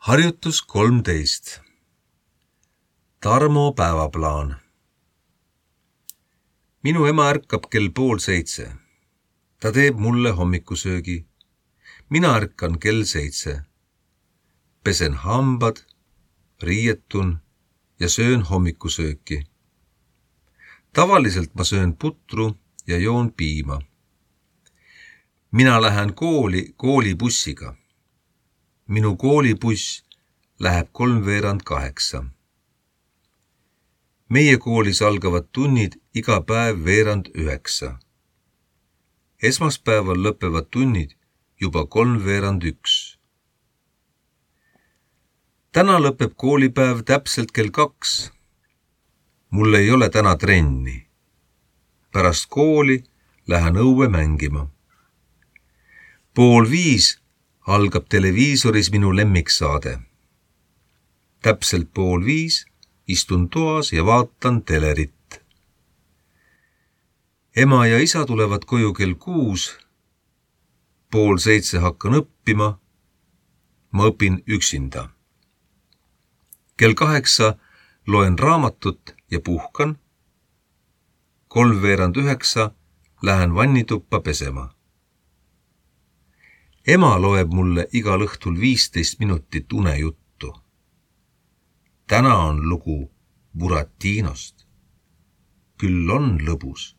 Harjutus 13. Tarmo päevaplaan. Minu ema ärkab kell 6:30. Ta teeb mulle hommikusöögi. Mina ärkan kell 7. Pesen hambad, riietun ja söön hommikusööki. Tavaliselt ma söön putru ja joon piima. Mina lähen koolibussiga. Minu koolibuss läheb 7:45. Meie koolis algavad tunnid iga päev 8:30. Esmaspäeval lõpevad tunnid juba 3:31. Täna lõpeb koolipäev täpselt kell 2. Mul ei ole täna trenni. Pärast kooli lähen õue mängima. 4:30 algab televiisoris minu lemmiksaade. Täpselt 4:30 istun toas ja vaatan telerit. Ema ja isa tulevad koju kell 6. 6:30 hakkan õppima. Ma õpin üksinda. Kell 8 loen raamatut ja puhkan. 8:39 lähen vannituppa pesema. Ema loeb mulle igal õhtul 15 minutit unejuttu. Täna on lugu Buratinost. Küll on lõbus.